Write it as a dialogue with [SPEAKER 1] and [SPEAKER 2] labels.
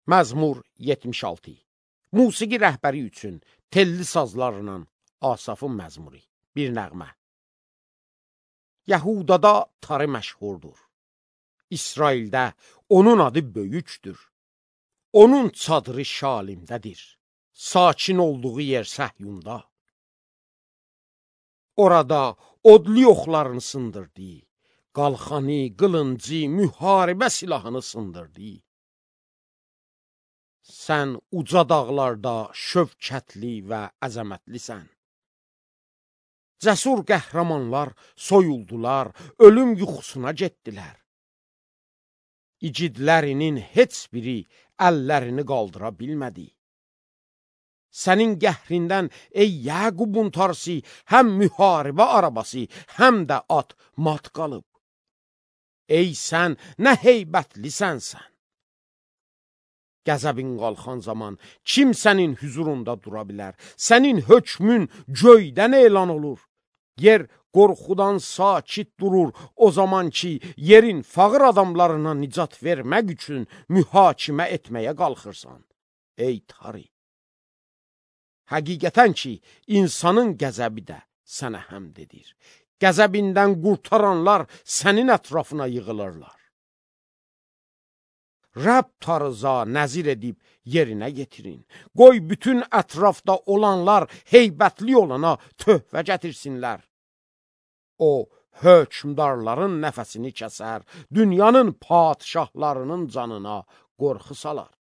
[SPEAKER 1] Məzmur 76. Musiqi rəhbəri üçün telli sazlarla Asafın məzmuri. Bir nəğmə. Yəhudada tarı məşhurdur. İsraildə onun adı böyükdür. Onun çadırı Şalimdədir. Sakin olduğu yer Səhyunda. Orada odlu yoxlarını sındırdı. Qalxanı, qılıncı, müharibə silahını sındırdı. Sən uca dağlarda şövkətli və əzəmətlisən. Cəsur qəhrəmanlar soyuldular, ölüm yuxusuna getdilər. İgidlərinin heç biri əllərini qaldıra bilmədi. Sənin qəhrindən ey Yəqubun tarsi, həm müharibə arabası, həm də at mat qalıb. Ey sən, nə heybətlisən sən. Qəzəbin qalxan zaman kim sənin hüzurunda dura bilər? Sənin hökmün göydən elan olur. Yer qorxudan sakit durur o zaman ki, yerin fağır adamlarına nicat vermək üçün mühakimə etməyə qalxırsan. Ey tarı! Həqiqətən ki, insanın qəzəbi də sənə həmd edir. Qəzəbindən qurtaranlar sənin ətrafına yığılırlar. Rəbb tarıza nəzir edib yerinə getirin. Qoy bütün ətrafda olanlar heybətli olana töhfə gətirsinlər. O, hökmdarların nəfəsini kəsər, dünyanın padişahlarının canına qorxu salar.